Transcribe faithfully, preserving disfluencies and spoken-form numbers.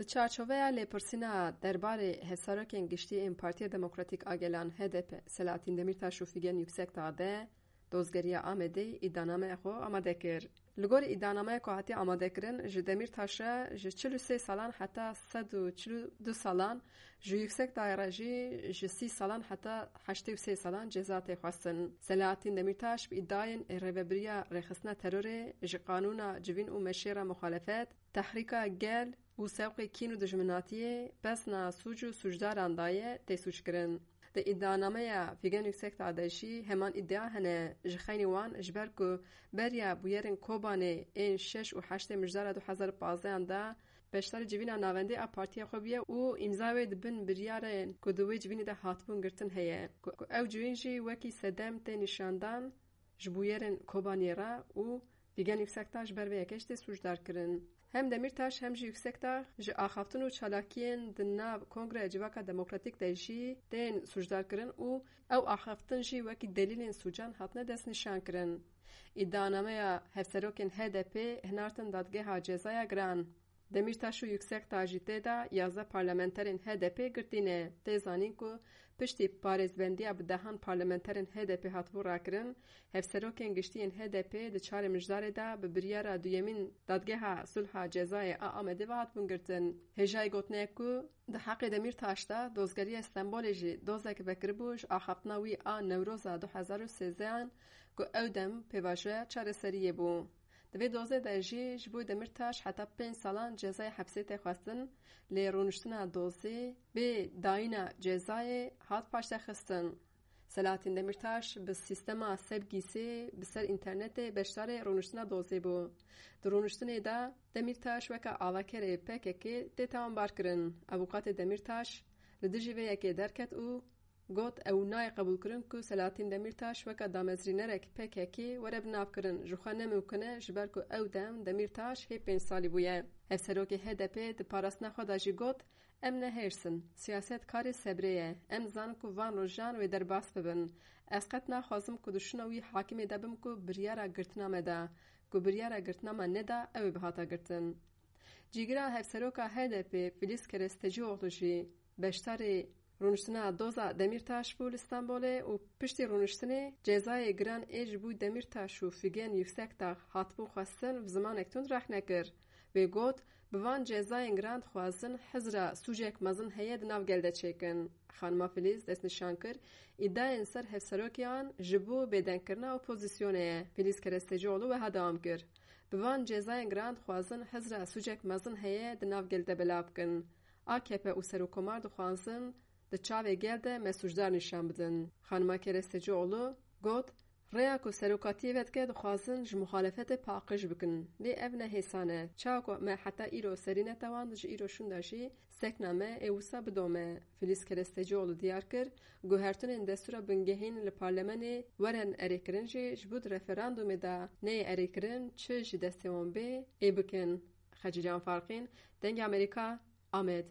Çarçoveya lêpirsîna derbarê hevserokên giştî ên Partiya Demokratîk a Gelan H D P Selahattin Demirtaş û Figen Yüksekdağ de dozgeriya Amedê îddianameya xwe amade kir. Li gor îddianameya ku hatiye amadekirin, ji Demirtaş re ji çil û sê salan heta sed û çil û du salan, ji Yüksekdağ re jî ji sî salan heta heştê û sê salan ceza tê xwestin. Selahattin Demirtaş bi îddiayên rêvebiriya rêxistina terorê, ji qanûna civîn û meşê re muxalefet, tehrîka gel û sewqê kîn û dijminatiyê, pesna sûc û sûcdaran daye, tê sûckirin. Di îdianameya Figen Yüksekdağ de jî heman îdia hene, ji xeynî wan, ji ber ku beriya bûyerên Kobanê ên şeş û heştê mijdara du hezar û pazdehan de beşdarî civîna navendê a partiya xwe bûye û îmza wê di bin biryarên ku di wê civînê de hatibûn girtin heye, ku, ku ew civîn jî wekî sedem tê nîşandan ji bûyerên Kobaniyê re û Figen Yüksekdağ ji ber vê yekê jî tê sûcdar kirin. Hem Demirtaş hem jî Yüksekdağ ji axaftin û çalakiyên di nav Kongreya Civaka Demokratîk de jî tên sûcdar kirin û ew axaftin jî wekî delîlên sûcan hatine destnîşan kirin. Îdianameya hevserokên H D P hinartin Dadgeha Cezaya Giran. Demirtaş û Yüksekdağ jî tê de yazdeh parlamenterên H D P girtî ne. Tê zanîn ku piştî parêzbendiya bi dehan parlamenterên H D P hatibû rakirin, hevserokên giştî yên H D P di çarê mijdarê de bi biryara duyemîn Dadgeha Sulha Cezayê a Amedê ve hatibûn girtin. Hêjayî gotinê ye ku di heqê Demîrtaş de dozgeriya Stenbolê jî dozek vekiribû ji axaftina wî a Newroza du hezar û sêzdehan ku ew dem pêvajoya çareseriyê bû. Di vê dozê de jî ji bo Demîrtaş heta pênc salan cezayê hepsê tê xwestin, lê rûniştina dozê bê dayîna cezayê hat paştexistin. Selahattin Demîrtaş bi sîstema Sebgîsê bi ser înternetê beşdarê rûniştina dozê bû. Di rûniştinê de Demîrtaş weke avakerê P K K tê tawanbarkirin. Avûkatê Demîrtaş li dijî vê yekê derket û got, ew nayê qebûlkirin ku Selahattin Demîrtaş weke damezrînerek P K K were binavkirin, ji xwe ne mimkun e, ji ber ku ew dem Demîrtaş hê pênc salî bûye. Hevserokê H D P di parastina xwe de jî got, em ne hêrs in, siyaset karê sebrê ye, em dizanin ku van rojan wê derbas bibin. Ez qet naxwazim ku di şûna wî hakimê de bim ku biryara girtina me da, ku biryara girtina me neda, ew ê bihata girtin. Cîgira hevseroka H D P Filiz Kerestecioğlu jî beşdarê rûniştina doza Demîrtaş bû li Stenbolê û piştî rûniştinê cezayê giran ê ji bo Demîrtaş û Figen Yüksekdağ hatibû xwestin bi zimanek tund rexne kir. Wê got, bi van cezayên giran dixwazin hizra sûcek mezin heye di nav gel de çêkin. Xanima Filiz destnîşan kir, îdiayên ser hevserokiyan ji bo bêdengkirina opozisyonê ye. Filiz Kerestecioğlu wiha dewam kir, bi van cezayên giran dixwazin hizra sûcek mezin heye di nav gel de belav bikin. A K P û Serokkomar dixwazin di çavê gel de me sûcdar nîşan bidin. Xanima Kerestecioğlu got, rêya ku serokatiyê vedike dixwazin ji muxalefetê paqij bikin. Lê ev ne hêsan e. Çawa ku me heta îro serî netewand, ji îro şûnda jî sekna me ê wisa bidome. Filiz Kerestecioğlu diyar kir, guhertinên destûra bingehîn li parlemenê werin erêkirin jî ji bo di referandumê de neyê erêkirin çi ji destê wan bê ê bikin. Xecîcan Farqîn, Dengê Amerîka, Amed.